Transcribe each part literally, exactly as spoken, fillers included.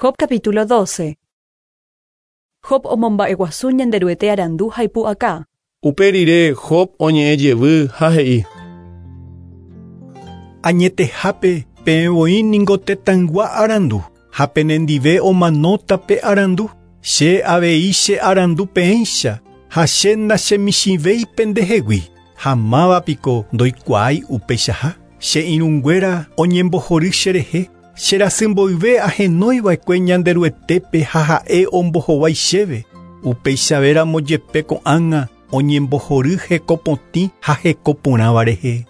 Job capítulo doce. Job omomba'eguasu Ñanderuete arandu ha ipu'aka. Upe rire Job oñe'ẽ jevy ha he'i. Añetehápe peẽ voi ningo tetãygua arandu ha penendive omanóta pe arandu. Che avei che arandu peẽicha ha che nachemichĩvéi pendehegui ha mávapiko ndoikuaái upeichaha. Che irũnguéra oñembohory cherehe cherasymboyve ahenóiva'ekue Ñanderuetépe ha ha'e ombohovái chéve. Upeichavéramo jepe ko'ág̃a oñembohory hekopotĩ ha hekoporãva rehe.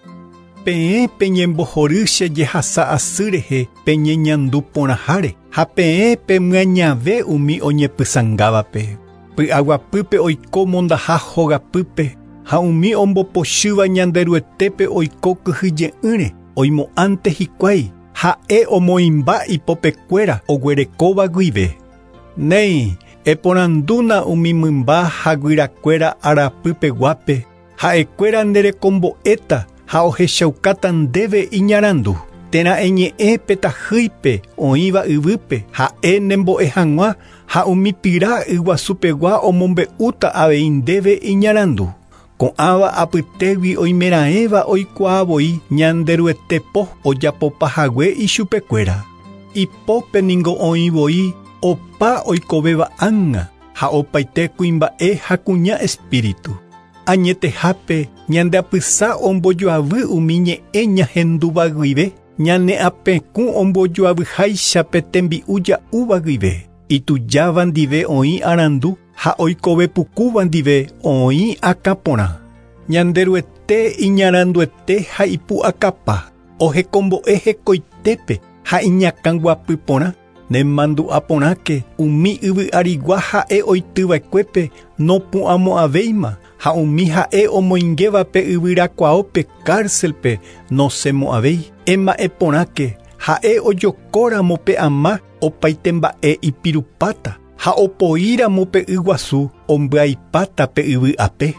Peẽ peñembohory che jehasa asy rehe peñeñandu porãháre ha peẽ pemyañave umi oñepysãngávape. Py'aguapýpe oiko mondaha hogapýpe ha umi ombopochýva Ñanderuetépe oiko kyhyje'ỹre oimo'ãnte hikuái ha'e omoĩmba ipopekuéra oguerekóva guive. Néi, eporandúna umi mymba ha guyrakuéra arapypeguápe ha'ekuéra nderekombo'éta ha ohechaukáta ndéve iñarandu. Térã eñe'ẽ petahýipe oĩva yvýpe ha'e nembo'e hag̃ua ha umi pira yguasupegua omombe'úta avei ndéve iñarandu. Ko'ãva apytégui oimeraẽva oikuaavoi Ñanderuete po ojapopahague ichupekuéra. Ipópe ningo oĩvoi opa oikovéva ág̃a ha opaite kuimba'e ha kuña espíritu. Añetehápe ñandeapysa ombojoavy umi ñe'ẽ ñahendúva guive ñane apekũ ombojoavyháicha pe tembi'u ja'úva guive. Itujáva ndive oĩ arandu ha oikovepukúva ndive oĩ akãporã. Ñanderuete iñaranduete ha ipu'akapa ohekombo'e hekoitépe ha iñakãguapyporã. Nemandu'aporãke umi yvy arigua ha'e oityva'ekuépe nopu'ãmo'ãvéima ha umi ha'e omoingévape yvyrakuaópe cárcelpe nosẽmo'ãvéi. Ema'ẽporãke ha'e ojokóramo pe ama opaite mba'e ipirupáta ha opoíramo pe yguasu ombyaipáta pe yvy ape.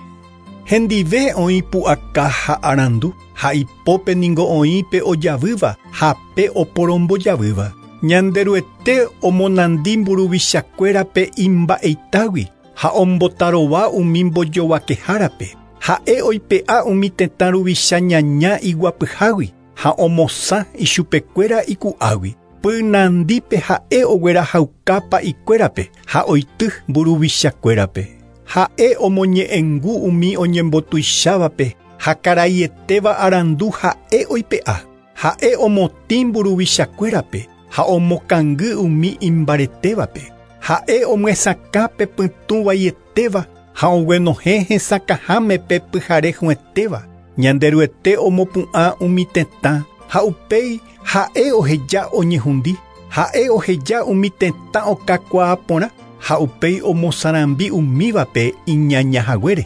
Hendive oĩ pu'aka ha arandu ha ipópe ningo oĩ pe ojavýva ha pe oporombojavýva. Ñanderuete omonandi mburuvichakuérape imba'eitágui ha ombotarova umi mbojovakehárape. Ha'e oipe'a umi tetã ruvicha ñaña iguapyhágui ha omosã ichupekuéra iku'águi. Pynandípe ha'e oguerahaukápa ikuérape ha oity mburuvichakuérape. Ha'e omoñe'ẽngu umi oñembotuichávape ha karaietéva arandu ha'e oipe'a. Ha'e omotĩ mburuvichakuérape ha omokangy umi imbaretévape. Ha'e omyesakã pe pytũvaietéva ha oguenohẽ hesakãháme pe pyharehuetéva. Ñanderuete omopu'ã umi tetã ha upéi ha'e oheja oñehundi. Ha'e oheja umi tetã okakuaaporã ha upéi omosarambi umívape iñañahaguére.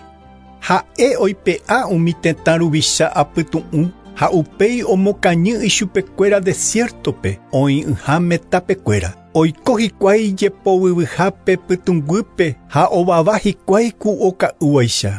Ha'e oipe'a umi tetã ruvicha apytu'ũ ha upéi omokañy ichupekuéra desiertope oĩ'ỹháme tapekuéra. Oiko hikuái jepovyvyhápe pytũnguýpe ha ovava hikuái ku oka'úvaicha.